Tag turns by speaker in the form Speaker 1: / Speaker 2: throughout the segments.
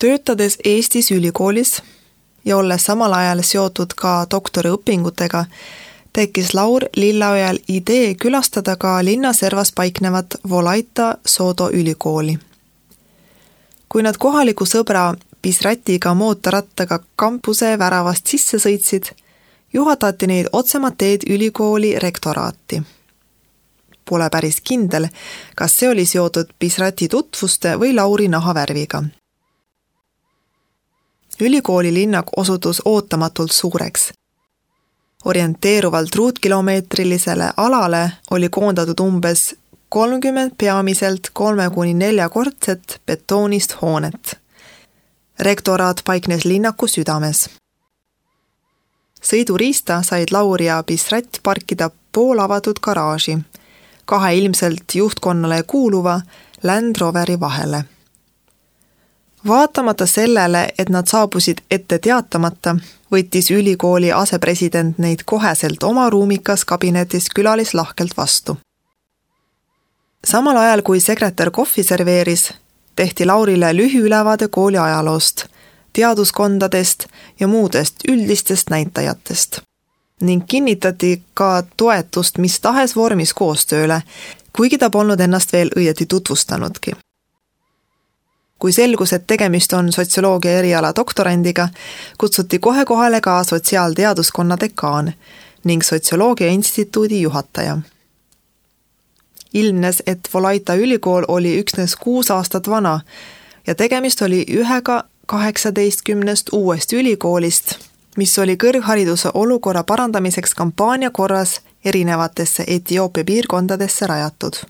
Speaker 1: Töötades Eestis ülikoolis ja olles samal ajal seotud ka doktoriõpingutega, tekkis Laur Lillaojal idee külastada ka linnaservas paiknevat Volaita Sodo ülikooli. Kui nad kohaliku sõbra Pisratiga mootorrattaga kampuse väravast sisse sõitsid, juhatati neid otsemat teed ülikooli rektoraati. Pole päris kindel, kas see oli seotud Pisrati tutvuste või Lauri nahavärviga. Ülikooli linnak osutus ootamatult suureks. Orienteeruvalt ruutkilomeetrilisele alale oli koondatud umbes 30 peamiselt 3–4-kordset betoonist hoonet. Rektoraat paiknes linnaku südames. Sõiduriista said Laur ja Pisrat parkida poolavatud garaaži, 2 ilmselt juhtkonnale kuuluva Land Roveri vahele. Vaatamata sellele, et nad saabusid ette teatamata, võttis ülikooli asepresident neid koheselt oma ruumikas kabinetis külalislahkelt vastu. Samal ajal, kui sekretär kohvi serveeris, tehti Laurile lühiülevaade kooli ajaloost, teaduskondadest ja muudest üldistest näitajatest ning kinnitati ka toetust mis tahes vormis koostööle, kuigi ta polnud ennast veel õieti tutvustanudki. Kui selgus, et tegemist on sotsioloogia eriala doktorandiga, kutsuti kohe kohale ka sotsiaalteaduskonna dekaan ning sotsioloogia instituudi juhataja. Ilmnes, et Volaita ülikool oli üksnes 6 aastat vana ja tegemist oli ühega 18 uuest ülikoolist, mis oli kõrghariduse olukorra parandamiseks kampaania korras erinevatesse Etioopia piirkondadesse rajatud.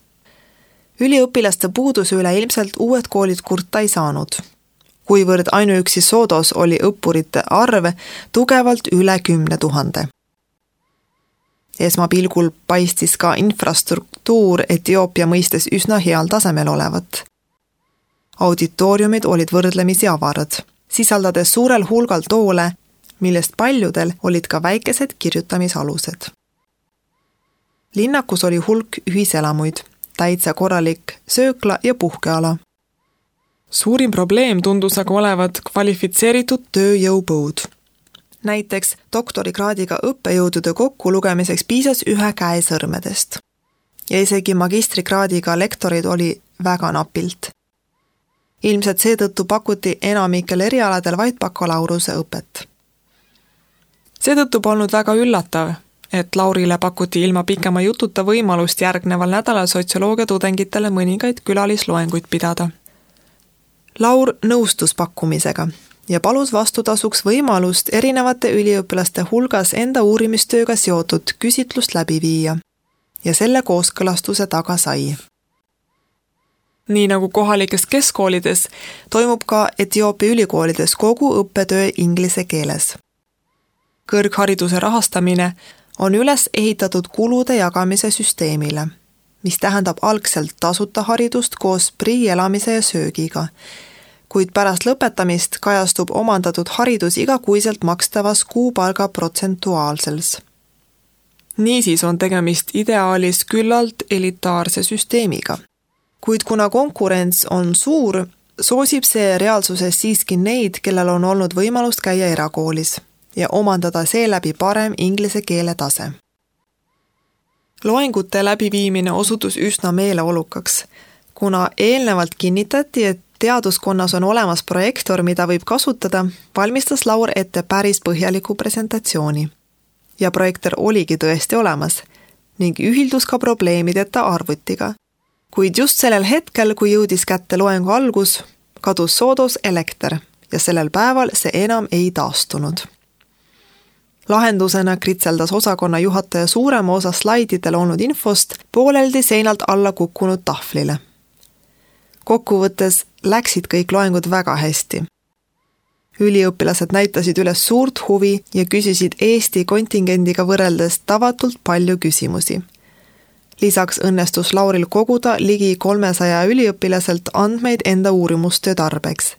Speaker 1: Üliõpilaste puuduse üle ilmselt uued koolid kurta ei saanud, kuivõrd ainuüksi Sodos oli õppurite arv tugevalt üle 10 000. Esmapilgul paistis ka infrastruktuur Etioopia mõistes üsna heal tasemel olevat. Auditooriumid olid võrdlemisi avarad, sisaldades suurel hulgal toole, millest paljudel olid ka väikesed kirjutamisalused. Linnakus oli hulk ühiselamuid, täitsa korralik söökla ja puhkeala.
Speaker 2: Suurim probleem tundus aga olevat kvalifitseeritud
Speaker 1: tööjõupõud. Näiteks doktorikraadiga õppejõudude kokku lugemiseks piisas 1 käe sõrmedest. Ja isegi magistrikraadiga lektorid oli väga napilt. Ilmselt seetõttu pakuti enamikel erialadel vaid bakalaureuse õpet.
Speaker 2: Seetõttu polnud väga üllatav, et Laurile pakuti ilma pikema jututa võimalust järgneval nädalal sotsioloogia tudengitele mõningaid külalisloenguid pidada.
Speaker 1: Laur nõustus pakkumisega ja palus vastutasuks võimalust erinevate üliõpilaste hulgas enda uurimistööga seotud küsitlust läbi viia ja selle kooskõlastuse taga sai.
Speaker 2: Nii nagu kohalikes keskkoolides,
Speaker 1: toimub ka Etioopia ülikoolides kogu õppetöö inglise keeles. Kõrghariduse rahastamine on üles ehitatud kulude jagamise süsteemile, mis tähendab algselt tasuta haridust koos priielamise ja söögiga, kuid pärast lõpetamist kajastub omandatud haridus igakuiselt makstavas kuupalga protsentuaalsels.
Speaker 2: Niisiis on tegemist ideaalis küllalt elitaarse süsteemiga.
Speaker 1: Kuid kuna konkurents on suur, soosib see reaalsuses siiski neid, kellel on olnud võimalust käia erakoolis ja omandada seeläbi parem inglise keele tase. Loengute läbiviimine osutus üsna meeleolukaks, kuna eelnevalt kinnitati, et teaduskonnas on olemas projektor, mida võib kasutada, valmistas Laur ette päris põhjaliku presentatsiooni. Ja projektor oligi tõesti olemas ning ühildus ka probleemideta arvutiga. Kuid just sellel hetkel, kui jõudis kätte loengu algus, kadus Sodos elekter ja sellel päeval see enam ei taastunud. Lahendusena kritseldas osakonna juhataja suurema osa slaididel olnud infost pooleldi seinalt alla kukkunud tahvlile. Kokkuvõttes läksid kõik loengud väga hästi. Üliõpilased näitasid üles suurt huvi ja küsisid Eesti kontingendiga võrreldes tavatult palju küsimusi. Lisaks õnnestus Lauril koguda ligi 300 üliõpilaselt andmeid enda uurimustöö tarbeks,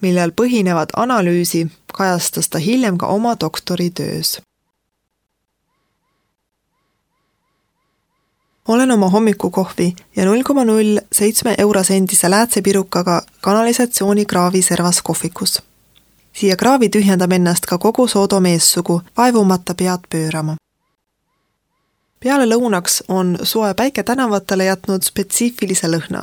Speaker 1: millel põhinevat analüüsi kajastas ta hiljem ka oma doktoritöös. olen oma hommikukohvi ja 0,07 eurosendise läätsepirukaga kanalisatsioonikraavi servas kohvikus. Siia kraavi tühjendab ennast ka kogu Soodo meessugu, vaevumata pead pöörama. Peale lõunaks on soe päike tänavatele jätnud spetsiifilise lõhna.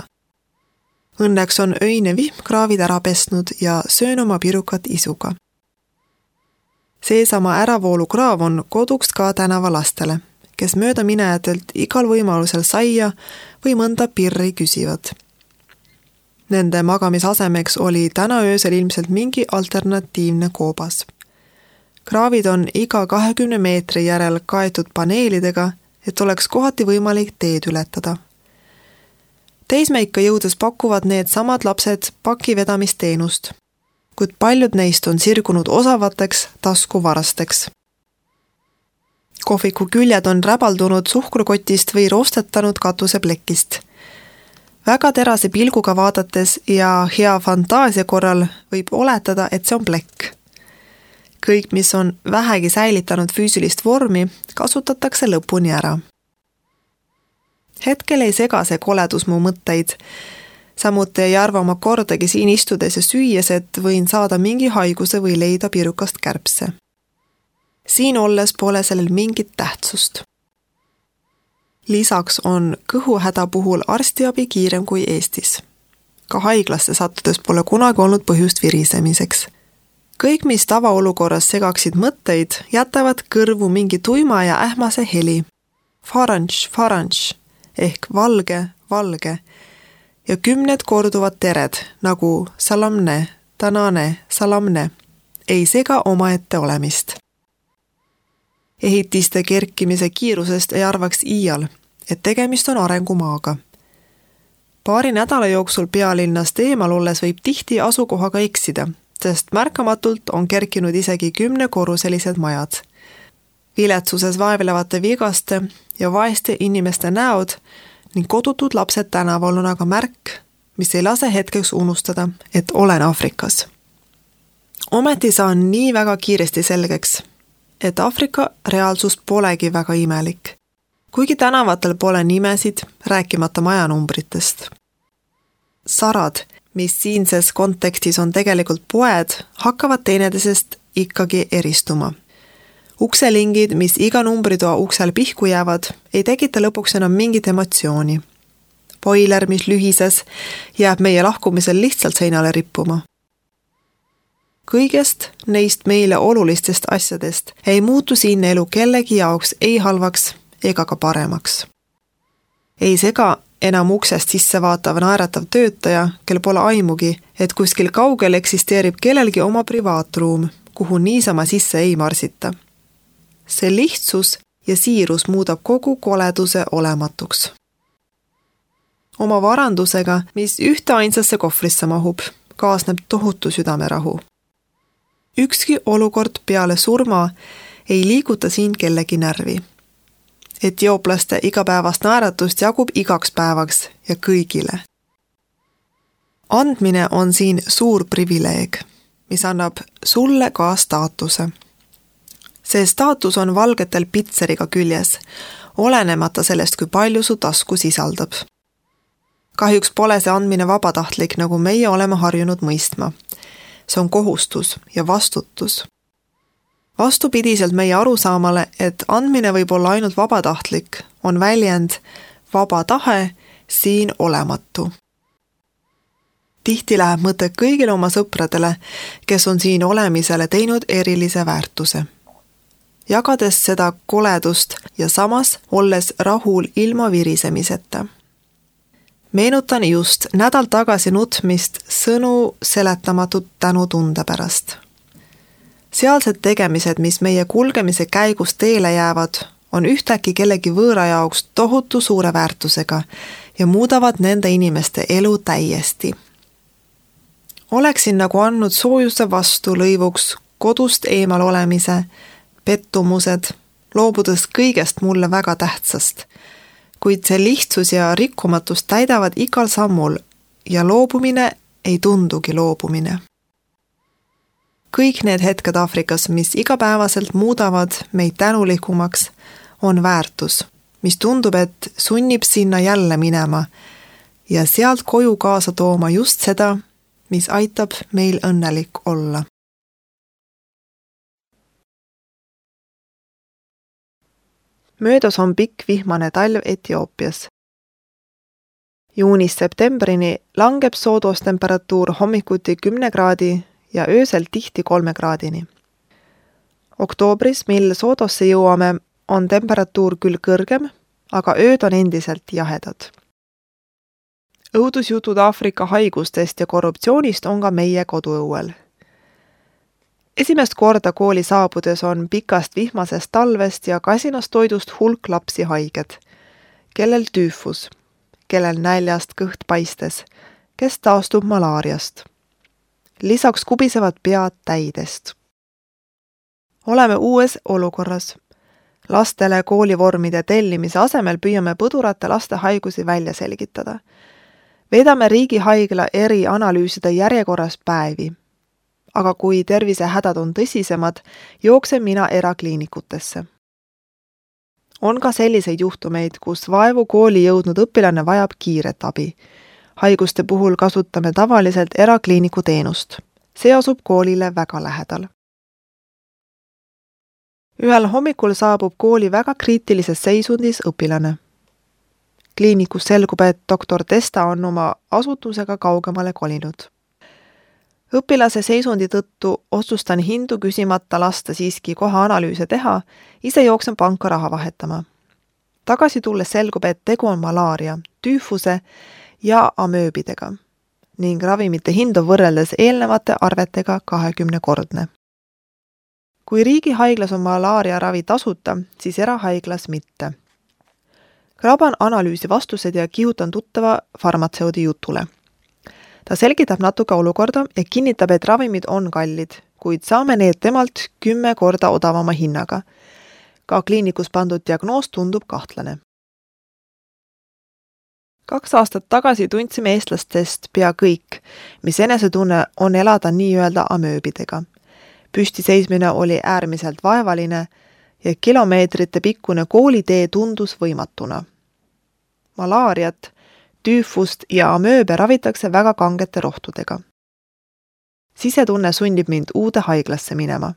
Speaker 1: Õnneks on öine vihm kraavid ära pesnud ja söön oma pirukat isuga. Seesama äravoolukraav on koduks ka tänavalastele, kes mööda minejatelt igal võimalusel saia või mõnda pirri küsivad. Nende magamisasemeks oli täna öösel ilmselt mingi alternatiivne koobas. Kraavid on iga 20 meetri järel kaetud paneelidega, et oleks kohati võimalik teed ületada. Teismeikka jõudes pakuvad need samad lapsed pakivedamisteenust, kuid paljud neist on sirgunud osavateks taskuvarasteks. Kohviku küljed on räbaldunud suhkrukotist või roostetanud katuseplekist. Väga terase pilguga vaadates ja hea fantaasia korral võib oletada, et see on plekk. Kõik, mis on vähegi säilitanud füüsilist vormi, kasutatakse lõpuni ära. Hetkel ei sega see koledus mu mõtteid. Samuti ei arva ma kordagi siin istudes ja süües, et võin saada mingi haiguse või leida pirukast kärbse. Siin olles pole sellel mingit tähtsust. Lisaks on kõhuhäda puhul arstiabi kiirem kui Eestis. Ka haiglasse sattudes pole kunagi olnud põhjust virisemiseks. Kõik, mis tavaolukorras segaksid mõtteid, jätavad kõrvu mingi tuima ja ähmase heli. Faranš ehk valge, valge ja 10 korduvad tered nagu salamne, tanane, salamne ei sega omaette olemist. Ehitiste kerkimise kiirusest ei arvaks iial, et tegemist on arengumaaga. Paari nädala jooksul pealinnast eemal olles võib tihti asukohaga eksida, sest märkamatult on kerkinud isegi 10-korruselised majad. Viletsuses vaevlevate vigaste ja vaeste inimeste näod ning kodutud lapsed tänaval on aga märk, mis ei lase hetkeks unustada, et olen Aafrikas. Ometi saan nii väga kiiresti selgeks, et Aafrika reaalsus polegi väga imelik. Kuigi tänavatel pole nimesid, rääkimata majanumbritest. Sarad, mis siinses kontekstis on tegelikult poed, hakkavad teineteisest ikkagi eristuma. Ukselingid, mis iga numbritoa uksel pihku jäävad, ei tekita lõpuks enam mingit emotsiooni. Boiler, mis lühises, jääb meie lahkumisel lihtsalt seinale rippuma. Kõigest neist meile olulistest asjadest ei muutu siin elu kellegi jaoks ei halvaks ega ka paremaks. Ei sega enam uksest sisse vaatav naeratav töötaja, kel pole aimugi, et kuskil kaugel eksisteerib kellelgi oma privaatruum, kuhu niisama sisse ei marsita. See lihtsus ja siirus muudab kogu koleduse olematuks. Oma varandusega, mis ühte ainsasse kohvrisse mahub, kaasneb tohutu südamerahu. Ükski olukord peale surma ei liiguta siin kellegi närvi. Etiooplaste igapäevast naeratust jagub igaks päevaks ja kõigile. Andmine on siin suur privileeg, mis annab sulle ka staatuse. See staatus on valgetel pitseriga küljes, olenemata sellest, kui palju su tasku sisaldab. Kahjuks pole see andmine vabatahtlik, nagu meie oleme harjunud mõistma. See on kohustus ja vastutus. Vastupidiselt meie arusaamale, et andmine võib olla ainult vabatahtlik, on väljend vaba tahe siin olematu. Tihti läheb mõte kõigile oma sõpradele, kes on siin olemisele teinud erilise väärtuse. Jagades seda koledust ja samas olles rahul ilma virisemiseta. Meenutan just nädal tagasi nutmist sõnu seletamatut tänutunde pärast. Sealsed tegemised, mis meie kulgemise käigus teele jäävad, on ühtäkki kellegi võõra jaoks tohutu suure väärtusega ja muudavad nende inimeste elu täiesti. Oleksin nagu andnud soojuse vastu lõivuks kodust eemal olemise, pettumused, loobudes kõigest mulle väga tähtsast, kuid see lihtsus ja rikkumatus täidavad igal sammul ja loobumine ei tundugi loobumine. Kõik need hetked Aafrikas, mis igapäevaselt muudavad meid tänulikumaks, on väärtus, mis tundub, et sunnib sinna jälle minema ja sealt koju kaasa tooma just seda, mis aitab meil õnnelik olla. Möödas on pikk vihmane talv Etioopias. Juunist septembrini langeb soodostemperatuur hommikuti 10 kraadi ja öösel tihti 3 kraadini. Oktoobris, mil soodosse jõuame, on temperatuur küll kõrgem, aga ööd on endiselt jahedad. Õudusjutud Aafrika haigustest ja korruptsioonist on ka meie koduõuel. Esimest korda kooli saabudes on pikast vihmasest talvest ja kasinast toidust hulk lapsi haiged, kellel tüüfus, kellel näljast kõht paistes, kes taastub malaariast. Lisaks kubisevad pead täidest. Oleme uues olukorras. Lastele koolivormide tellimise asemel püüame põdurate laste haigusi välja selgitada. Veedame riigihaigla eri analüüside järjekorras päevi. Aga kui tervisehädad on tõsisemad, jooksen mina erakliinikutesse. On ka selliseid juhtumeid, kus vaevu kooli jõudnud õpilane vajab kiiret abi. Haiguste puhul kasutame tavaliselt erakliiniku teenust. See asub koolile väga lähedal. Ühel hommikul saabub kooli väga kriitilises seisundis õpilane. Kliinikus selgub, et doktor Testa on oma asutusega kaugemale kolinud. Õpilase seisundi tõttu otsustan hindu küsimata lasta siiski kohe analüüse teha, ise jooksen panka raha vahetama. Tagasi tulles selgub, et tegu on malaaria, tüüfuse ja amööbidega ning ravimite hind on võrreldes eelnevate arvetega 20-kordne. Kui riigihaiglas on malaaria ravi tasuta, siis erahaiglas mitte. Graban analüüsi vastused ja kihutan tuttava farmatseudi jutule. Ta selgitab natuke olukorda ja kinnitab, et ravimid on kallid, kuid saame need temalt 10 korda odavama hinnaga. Ka kliinikus pandud diagnoos tundub kahtlane. 2 aastat tagasi tundsime eestlastest pea kõik, mis enesetunne on elada nii-öelda amööbidega. Püstiseismine oli äärmiselt vaevaline ja kilomeetrite pikkune koolitee tundus võimatuna. Malaariat, tüüfust ja amööbe ravitakse väga kangete rohtudega. Sisetunne sundib mind uude haiglasse minema.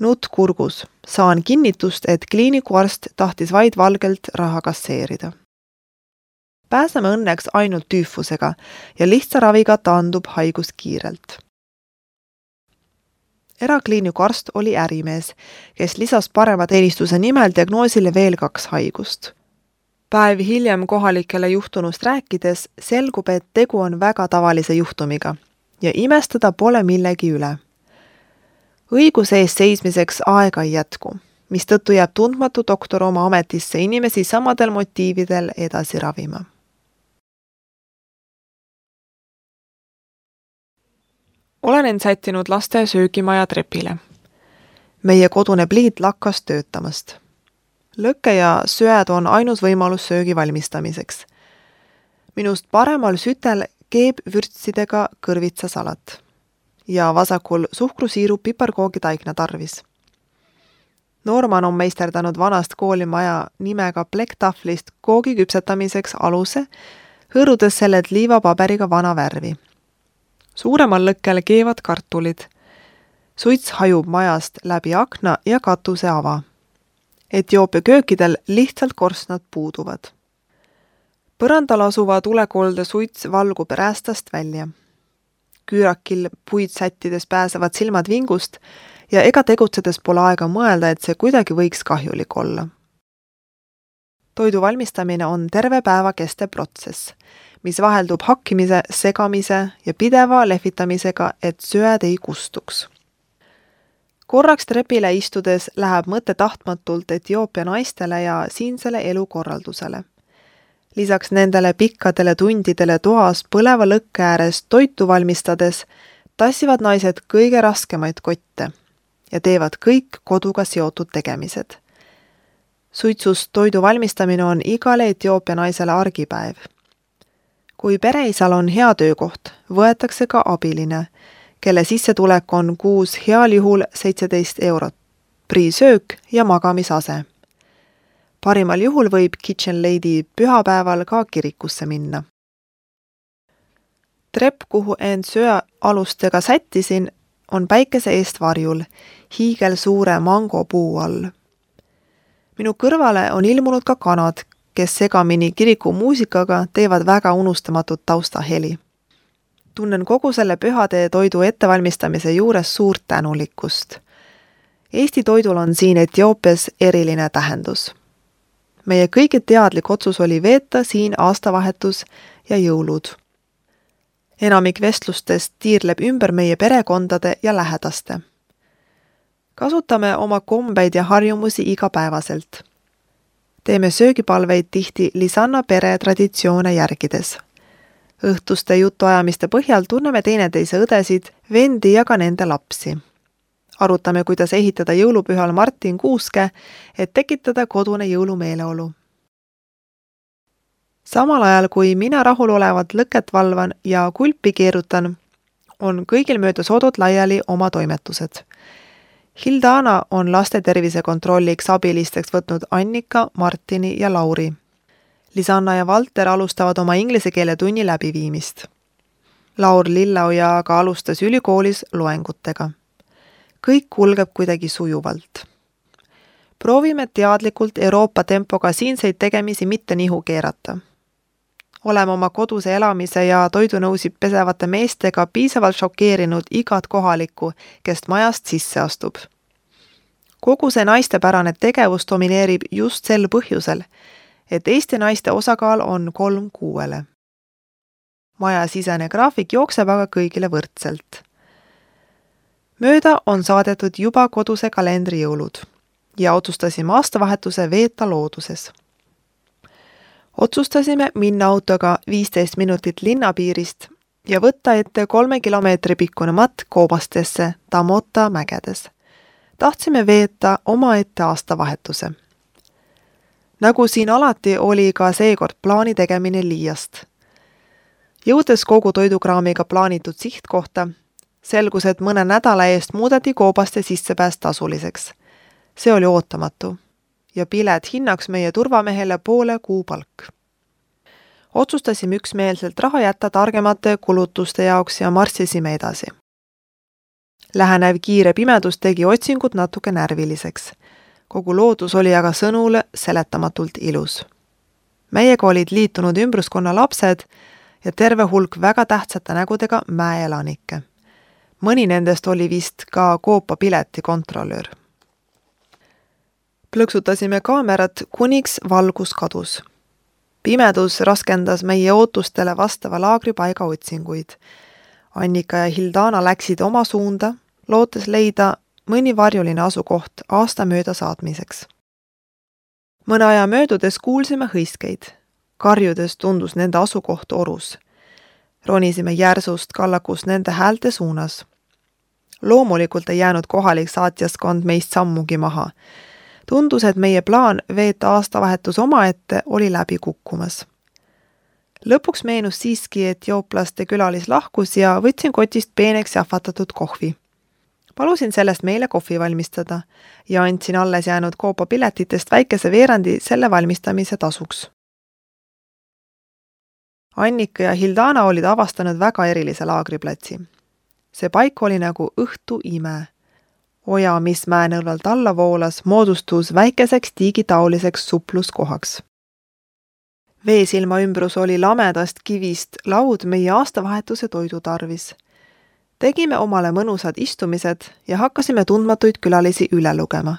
Speaker 1: Nutt kurgus. Saan kinnitust, et kliinikuarst tahtis vaid valgelt raha kasseerida. Pääseme õnneks ainult tüüfusega ja lihtsa raviga taandub haigus kiirelt. Erakliiniku arst oli ärimees, kes lisas parema teenistuse nimel diagnoosile veel 2 haigust. Päev hiljem kohalikele juhtunust rääkides selgub, et tegu on väga tavalise juhtumiga ja imestada pole millegi üle. Õiguse eest seismiseks aega ei jätku, mistõttu jääb tundmatu doktor oma ametisse inimesi samadel motiividel edasi ravima. Olen end sättinud laste söögimaja trepile. Meie kodune pliit lakkas töötamast. Lõkke ja söed on ainus võimalus söögi valmistamiseks. Minust paremal sütel keeb vürtsidega kõrvitsasalat ja vasakul suhkrusiiru piparkoogi taigna tarvis. Norman on meisterdanud vanast koolimaja nimega plekktahvlist koogi küpsetamiseks aluse, hõõrudes sellelt liivapaberiga vana värvi. Suuremal lõkkel keevad kartulid. Suits hajub majast läbi akna ja katuse ava. Etioopia köökidel lihtsalt korstnad puuduvad. Põrandal asuva tulekolde suits valgub räästast välja. Küürakil puid sättides pääsevad silmad vingust ja ega tegutsedes pole aega mõelda, et see kuidagi võiks kahjulik olla. Toidu valmistamine on terve päeva kestev protsess, mis vaheldub hakkimise, segamise ja pideva lehvitamisega, et söed ei kustuks. Korraks trepile istudes läheb mõte tahtmatult Etioopia naistele ja siinsele elukorraldusele. Lisaks nendele pikkadele tundidele toas põleva lõkke ääres toitu valmistades tassivad naised kõige raskemaid kotte ja teevad kõik koduga seotud tegemised. Suitsust toidu valmistamine on igale Etioopia naisele argipäev. Kui pereisal on hea töökoht, võetakse ka abiline, kelle sissetulek on kuus heal juhul 17 eurot, priisöök ja magamisase. Parimal juhul võib Kitchen Lady pühapäeval ka kirikusse minna. Trepp, kuhu end söealustega sättisin, on päikese eest varjul, hiigelsuure mangopuu all. Minu kõrvale on ilmunud ka kanad, kes segamini kiriku muusikaga teevad väga unustamatut taustaheli. Tunnen kogu selle pühade toidu ettevalmistamise juures suurt tänulikkust. Eesti toidul on siin Etioopias eriline tähendus. Meie kõige teadlik otsus oli veeta siin aastavahetus ja jõulud. Enamik vestlustest tiirleb ümber meie perekondade ja lähedaste. Kasutame oma kombeid ja harjumusi igapäevaselt. Teeme söögipalveid tihti Lisanna pere traditsioone järgides. Õhtuste jutuajamiste põhjal tunneme teineteise õdesid, vendi ja ka nende lapsi. Arutame, kuidas ehitada jõulupühal Martin kuuske, et tekitada kodune jõulumeeleolu. Samal ajal, kui mina rahulolevat lõket valvan ja kulpi keerutan, on kõigil mööda sodud laiali oma toimetused. Hildana on laste tervise kontrolliks abilisteks võtnud Annika, Martini ja Lauri. Lisanna ja Valter alustavad oma inglise keele tunni läbiviimist. Laur Lilleoja aga alustas ülikoolis loengutega. Kõik kulgeb kuidagi sujuvalt. Proovime teadlikult Euroopa tempoga siinseid tegemisi mitte nihu keerata. Oleme oma koduse elamise ja toidunõusid pesevate meestega piisavalt šokeerinud igat kohalikku, kes majast sisse astub. Kogu see naistepärane tegevus domineerib just sel põhjusel, et Eesti naiste osakaal on 3:6. Maja sisene graafik jookseb aga kõigile võrdselt. Mööda on saadetud juba koduse kalendri jõulud ja otsustasime aastavahetuse veeta looduses. Otsustasime minna autoga 15 minutit linnapiirist ja võtta ette 3 kilomeetri pikkune matt Koobastesse Tamota mägedes. Tahtsime veeta omaette aastavahetuse. Nagu siin alati oli ka seekord plaani tegemine liiast. Jõudes kogu toidukraamiga plaanitud sihtkohta, selgus, et mõne nädala eest muudeti Koobaste sissepääs tasuliseks. See oli ootamatu ja pilet hinnaks meie turvamehele poole kuupalk. Otsustasime üksmeelselt raha jätta targemate kulutuste jaoks ja marssisime edasi. Lähenev kiire pimedus tegi otsingud natuke närviliseks. Kogu loodus oli aga sõnule seletamatult ilus. Meiega olid liitunud ümbruskonna lapsed ja terve hulk väga tähtsate nägudega mäeelanikke. Mõni nendest oli vist ka Koopa pileti kontrollöör. Plõksutasime kaamerat, kuniks valgus kadus. Pimedus raskendas meie ootustele vastava laagripaiga otsinguid. Annika ja Hildana läksid oma suunda, lootes leida mõni varjuline asukoht aasta mööda saatmiseks. Mõne aja möödudes kuulsime hõiskeid. Karjudes tundus nende asukoht orus. Ronisime järsust kallakus nende häälte suunas. Loomulikult ei jäänud kohalik saatjaskond meist sammugi maha. Tundus, et meie plaan veeta aastavahetus omaette oli läbi kukkumas. Lõpuks meenus siiski, et etioplaste külalis lahkus ja võtsin kotist peeneks jahvatatud kohvi. Palusin sellest meile kohvi valmistada ja andsin alles jäänud Koopa piletitest väikese veerandi selle valmistamise tasuks. Annika ja Hildana olid avastanud väga erilise laagriplatsi. See paik oli nagu õhtu ime. Oja, mis mäenõlvalt alla voolas, moodustus väikeseks tiigitauliseks supluskohaks. Veesilma ümbrus oli lamedast kivist laud meie aastavahetuse toidu tarvis. Tegime omale mõnusad istumised ja hakkasime tundmatuid külalisi üle lugema.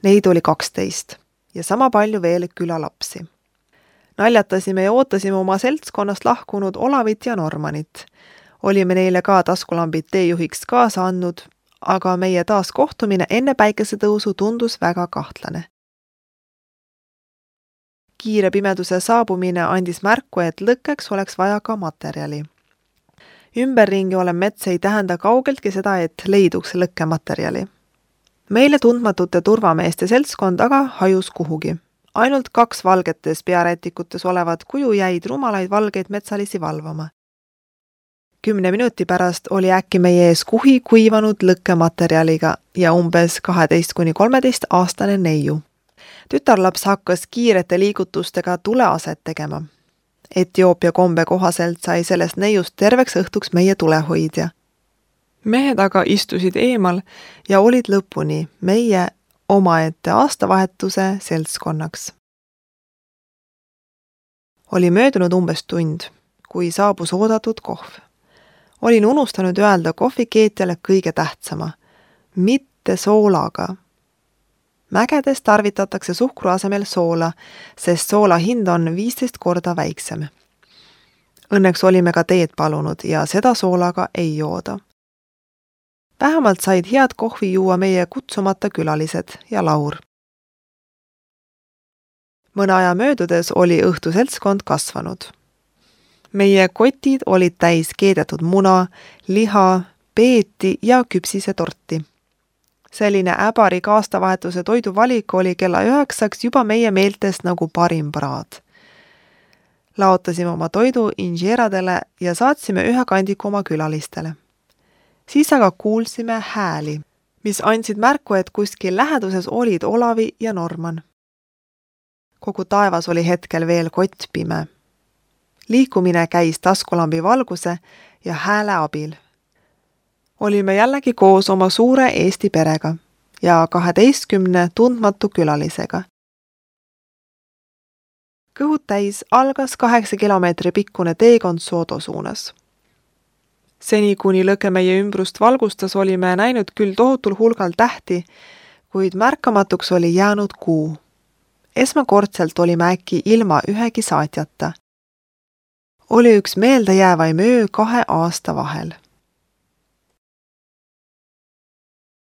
Speaker 1: Neid oli 12 ja sama palju veel külalapsi. Naljatasime ja ootasime oma seltskonnast lahkunud Olavit ja Normanit. Olime neile ka taskulambid teejuhiks kaasa andnud, aga meie taas kohtumine enne päikesetõusu tundus väga kahtlane. Kiire pimeduse saabumine andis märku, et lõkkeks oleks vaja ka materjali. Ümberringi olev mets ei tähenda kaugeltki seda, et leiduks lõkkematerjali. Meile tundmatute turvameeste seltskond aga hajus kuhugi. Ainult 2 valgetes pearätikutes olevad kuju jäid rumalaid valgeid metsalisi valvama. 10 minuti pärast oli äkki meie ees kuhi kuivanud lõkkematerjaliga ja umbes 12–13 aastane neiu. Tütarlaps hakkas kiirete liigutustega tuleaset tegema. Etioopia kombe kohaselt sai sellest neiust terveks õhtuks meie tulehoidja.
Speaker 2: Mehed aga istusid eemal ja olid lõpuni meie omaette aastavahetuse seltskonnaks. Oli möödunud umbes tund, kui saabus oodatud kohv. Olin unustanud öelda kohvikeetjale kõige tähtsama, mitte soolaga. Mägedes tarvitatakse suhkru asemel soola, sest soola hind on 15 korda väiksem. Õnneks olime ka teed palunud ja seda soolaga ei jooda. Vähemalt said head kohvi juua meie kutsumata külalised ja Laur. Mõne aja möödudes oli õhtuseltskond kasvanud. Meie kotid olid täis keedetud muna, liha, peeti ja küpsise torti. Selline äbarik aastavahetuse toiduvalik oli kella 9 juba meie meeltest nagu parim praad. Laotasime oma toidu inžeeradele ja saatsime ühe kandiku oma külalistele. Siis aga kuulsime hääli, mis andsid märku, et kuskil läheduses olid Olavi ja Norman. Kogu taevas oli hetkel veel kottpime. Liikumine käis taskulambi valguse ja hääle abil. Olime jällegi koos oma suure Eesti perega ja 12 tundmatu külalisega. Kõhud täis algas 8 kilomeetri pikkune teekond Soodo suunas. Seni kuni lõke meie ümbrust valgustas, olime näinud küll tohutul hulgal tähti, kuid märkamatuks oli jäänud kuu. Esmakordselt olime äkki ilma ühegi saatjata. Oli üks meeldejäävaim öö 2 aasta vahel.